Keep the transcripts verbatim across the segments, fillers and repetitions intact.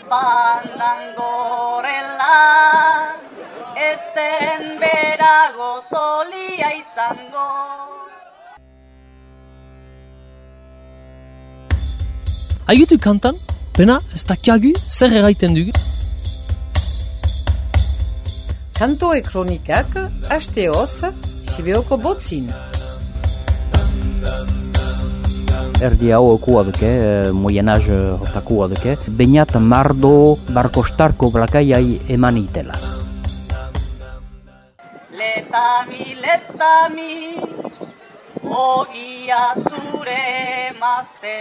Fandangorela, esten berago solia izango. Aigutu kantan, pena, ez dakiagu, zer erraiten dugu? Kantoe kronikak, hasteoz, Sibeoko botzin. Erdi hau okua duke, moyenaz hortakua duke, bainat mardo barkostarko blakaiai eman itela. Letami, letami, ogia zure mazte.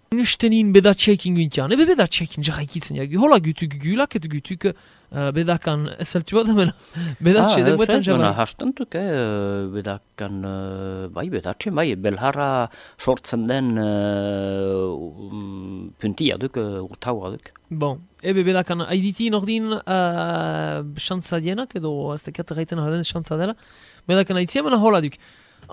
Nustenin bedatxeekin guntian, ebe bedatxeekin jarraikitzen jagu, hola gütuk gulak et gütuk uh, bedakan ezeltu bat amena, bedatxe ah, deguetan jabai. Hastantuk, eh, bedakan, uh, bai bedatxe, bai, belharra sortzen den uh, um, puntia duk, uh, urtaua duk. Bon, ebe bedakan haiditi nordin uh, xantza dienak, edo ez tekat erraiten haren xantza dela, bedakan haitzia mena hola duk.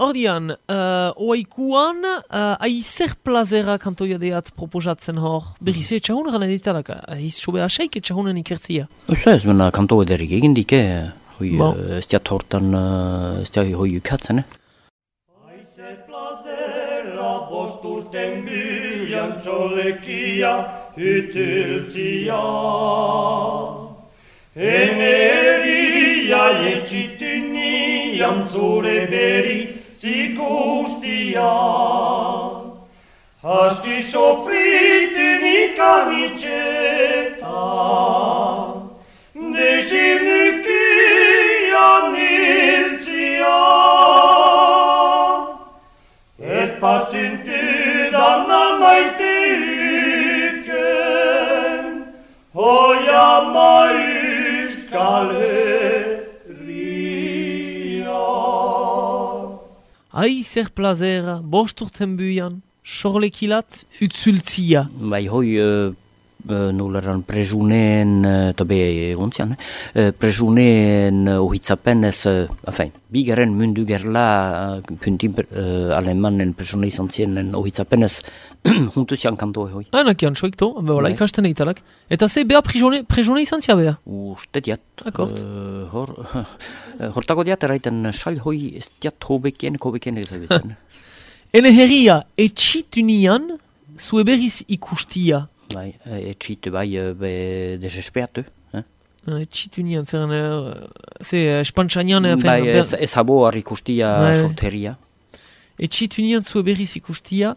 Ordian, uh, oaikuan, uh, aizer plazera kantoia deat proposatzen hor. Berriz, e, txahunen gana editalak, aiz sobe aseik txahunen ikertzia. Ez ez, mena kanto ederik egin dike, hoi, Bon. uh, ez diat hortan, uh, ez diat hoi ukatzen, eh? Aizer plazera bosturten bilan txolekia ütültzia. Eneria etxitunian zure beriz zikustia. Aski sofritin ikanitxetan, desirnikian iltzia. Ez pazintudan amaite uken, hoia maiuskal Aizer plazera, bosturten buian, sorlekilat, utzultzia. Bai, hoi, uh, uh, noleran prezuneen, eta uh, be egontzian, uh, prezuneen uh, ohitzapenez, uh, afain, bigaren mundu gerla uh, puntin uh, alemanen prezune izan zienen ohitzapenez juntuzian kantoe hoi. Hainakian, soikto, behola, Bai. ikasten eitalak. Eta ze, beha prezune izan zia beha? Uste diat. Akort. Uh, hor, hortako diat eraiten sal hoi ez diat hobekien, hobekien ezagutzen. Ene herria, etxitunian, zue berriz ikustia. Bai, etxitu bai, uh, be desesperatu. Eh? Uh, etxitunian, zeren, uh, ze, espantxanian... Bai, ez, ez abo ikustia Bai. sorteria. Etxitunian zue berriz ikustia,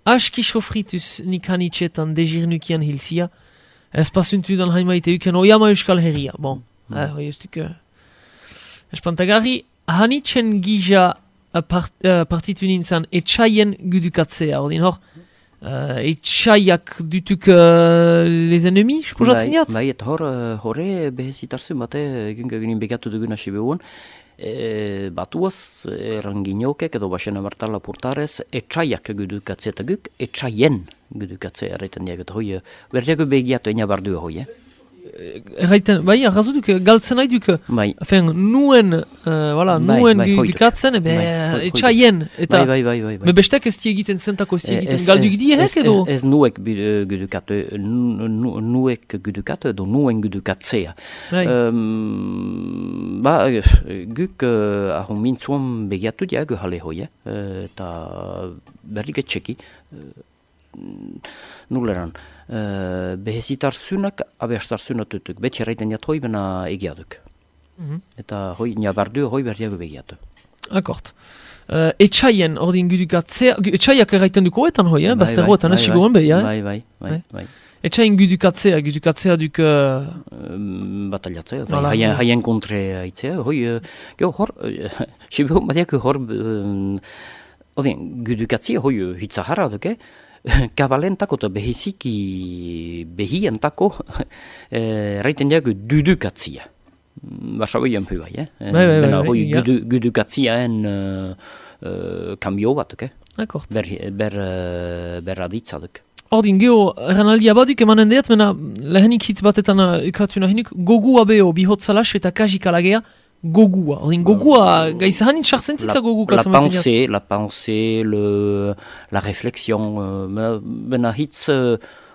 aski sofrituz nikanitxetan dezirnukian hilzia, ez pasuntudan haimaite uken oiama euskal herria. Bon, mm. eh, hoi ustuk... Uh, espantagarri, hanitzen gija uh, part, uh, partitu nintzen etxaien gudukatzea, ordin hor, uh, etxaiak dutuk uh, les ennemis, sposatzen jat? Bai, eta hor, uh, horre behezitarzu bate, egin ginen begatu dugun hasi behuen, e, batuaz, eranginokek edo basena martala portarez, etxaiak gudukatzea eta guk, etxaien gudukatzea erraiten diak, eta hoi, berdiago begiatu ena bardua hoi, eh? Erraiten, bai, arrazu duk, galtzen nahi duk, bai. Afen, nuen, uh, voilà, bai, nuen bai, gudukatzen, ebe, bai, etxaien, eta, bai, bai, bai, bai. me bestek ez diegiten zentako ez diegiten, Ez- galduk diehek edo? Ez, ez nuek uh, gudukatu, nu, nu, nuek gudukatu edo nuen gudukatzea. Bai. Um, ba, guk uh, ahon mintzuan begiatu diago jale hoi, eh? Uh, eta berrik etxeki, uh, nuleran, uh, behezitarzunak, abeastarzunak tutuk, beti erraiten jat hoi bena egiaduk. Mhm. Eta hoi, nabardu hoi berdiago begiatu. Akort. Uh, etxaien ordin gudukatzea, gu- etxaiak erraiten duko etan hoi, eh? Bai, Bazterroetan bai, hasi bai, goen behi, eh? Bai, bai, bai, Bai. bai. Etxaien gudukatzea, gudukatzea duk... Uh, Um, bataliatzea, Voilà, bai, haien, bai. haien kontre aitzea, hoi, uh, geho hor, uh, sibeho badiak hor, um, odin, gudukatzea hoi uh, hitzaharra duke, kabalentako eta behiziki behientako, uh, raiten diago dudukatzea. Basaboian pu bai, eh? Bai, bai, bai, Bena, bai, hoi ja. gudu, gudukatzeaen uh, uh, kambio bat duke, akort. ber, ber, uh, ber aditza duke. Ordin, geho, erranaldia baduk emanen deat, mena lehenik hitz batetan uh, ukatu nahinik, gogua beho, bihotzalas eta kajik alagea, gogua. Ordin, gogua, gaiza hanin sartzen La, zitza gogu la katzen baten jat. pensée, la pensée, le, la réflexion, euh, bena hitz uh,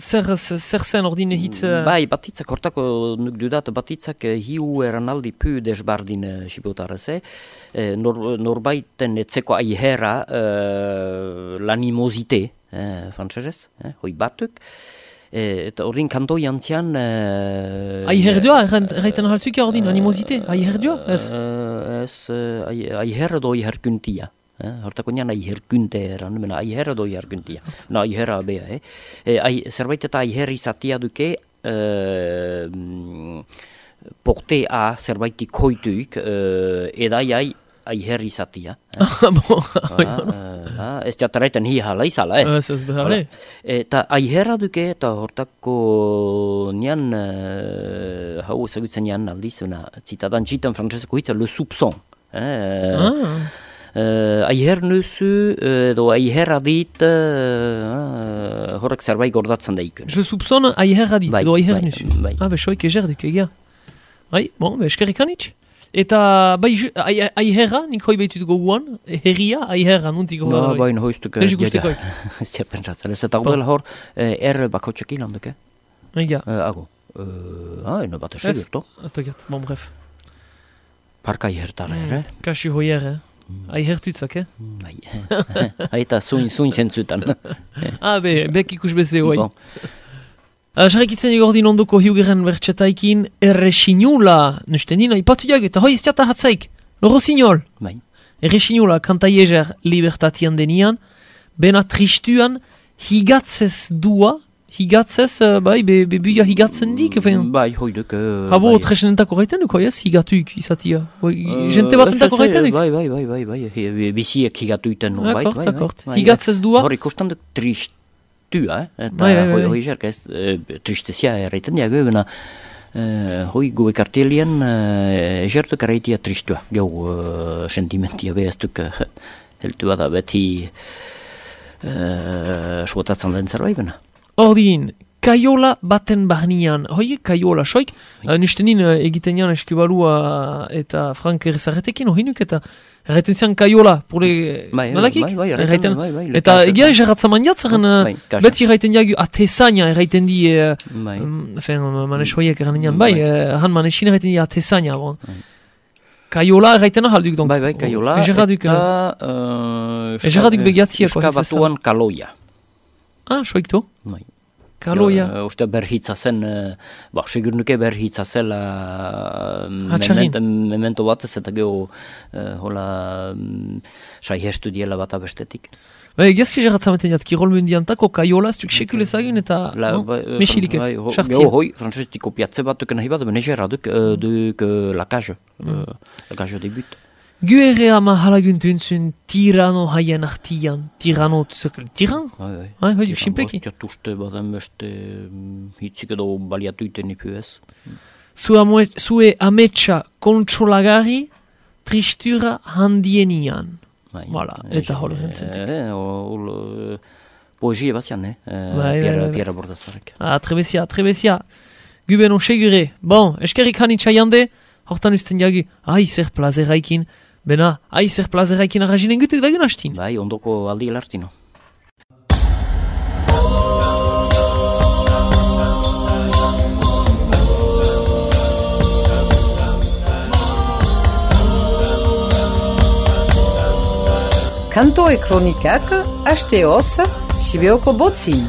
zer, zer zen ordin hitz... Uh... Bai, batitzak hortako nuk dudat, batitzak hiu eranaldi pu desbardin uh, sibotarez, eh? Eh, nor, norbaiten etzeko aiherra uh, l'animosité, eh, frantzesez, eh, hoi batuk, eh, eta ordin kantoi antzian... Uh, Aiherdua, erraiten halzuk ordin, animosité, aiherdua, ez? Uh, ez, uh, aiherra do aiherkuntia. Eh, hortako nian aiherkunte eran, mena aiherra do aiherkuntia. No, aiherra bea, eh? eh ai, zerbait eta aiherra izatia duke, eh, porte a zerbaiti koituik, eh, edai aiherra izatia. Eh? Bon, ah, ez jataraitan hi hala izala, eh? Ez ez behar, Eta aiherra duke, eta hortako nian, uh, hau ezagutzen nian aldiz, zitadan txitan frantzeseko hitza, le soupçon. Eh? Ah. Uh, aiher nuzu, edo uh, aiherra dit, uh, horrek zerbait gordatzen daikun. Je soupçonne aiherra dit, bai, edo aiher bai, nuzu. bai. Ah, besoik eger duk, egia. Bai, bon, be, eskerrik anitz. Eta, bai, ai, aiherra, nik hoi behitut goguan, herria, aiherra, nuntik hori. Ba, baina hoiztuk... Ez ikustekoik. Ez ja pentsatzen, ez eta ordela hor, er bakotxek ilanduk, eh? Egia. Ago. Ah, eno bat Ez, esegurto. ez dokiat, bon, bref. Parka aihertar, ere? Kasi hoi er, eh? Aihertutzak, eh? Bai, haita zuin, zuin zentzutan. Ah, be, bek ikus beze hoi. Bon. Jarrikitzen egordin ondoko hiugeren bertxetaikin erresinula, nusten dina, ipatu jag, eta hoi ez jata hatzaik, loro sinol. Bai. Erresinula kanta jeger libertatian denian, bena tristuan higatzez dua, higatzez, uh, bai, be, be buia higatzen dik, fein. Bai, hoiduk... Uh, Habo, bai. tresenentako gaiten duk, hoi ez, higatuik izatia. Uh, Jente bat entako gaiten duk. Bai, bai, bai, bai, bai, bai, biziek higatu iten. D'accord, d'accord. Higatzez dua. Hor ikusten duk tristu. Eh? Eta bai, bai, bai. hoi jerk ez, e, tristezia erraiten diago, bena e, hoi gu ekartelien e, jertuk erraitia tristua, gau e, sentimentia behaztuk e, heltu bada beti e, suotatzen den zerbait bena. Ordin, kaiola baten barnian, hoi, kaiola, soik, uh, nustenin uh, egiten jan eskibalua eta Frank errezarretekin, hoi nuk, eta erraiten zian kaiola, pure, Bai, nalakik? bai, bai, Erraiten- bai, bai, eta lekasa. egia egerratzaman jatzaren, uh, Bai, kasa. beti erraiten diagu atesaina erraiten di, uh, Bai. um, fen, manes hoiek erraten dian, bai, Bai. uh, han manesin erraiten di atesaina, bon. Kaiola erraiten ahalduk, donc. Bai, bai, kaiola, Egerraduk, uh, eta... Uh, Egerraduk begiatziak, Euska hori bezala. batuan kaloia. ah, soik to, Bai. kaloia. Uh, uste berhitza zen, uh, ba, segur nuke berhitza zela uh, Hatxarrin. memento, memento batez eta geho uh, hola um, saihestu diela bat abestetik. Bai, egiazki egerratzamaten jat, kirol mundiantako kaiola, ez duk sekulezagin eta, La, no? ba, uh, Mexilike, bai, ho- sartzia. geho hoi, frantzesti kopiatze bat duken nahi bat, benezera duk, uh, duk uh, la cage, uh, la cage de but. Gu ere ama halaguntuntzun tirano haien artian, tirano tzukel, tiran? Bai, bai. Bai, bai, sinpleki. Bastia tuste baden beste um, hitzik edo baliatu iten ipu ez. Zue, amue, zue ametsa kontsolagari tristura handienian. Bai. Voilà, eta hol rentzentuk. Eh, hol uh, poesie bazian, eh? Uh, Bai, Pierre, bai, bai. Pierre Bordazarek. Ah, trebezia, trebezia. Gu beno segure. Bon, eskerrik hanitza jande, hortan usten jagu, ai zer plazeraikin, bena, ai zer plazeraikin arrazinen gutuk dagun hastin. Bai, ondoko aldi elartino. Kanto e kronikak, hasteoz, Sibeoko botzin.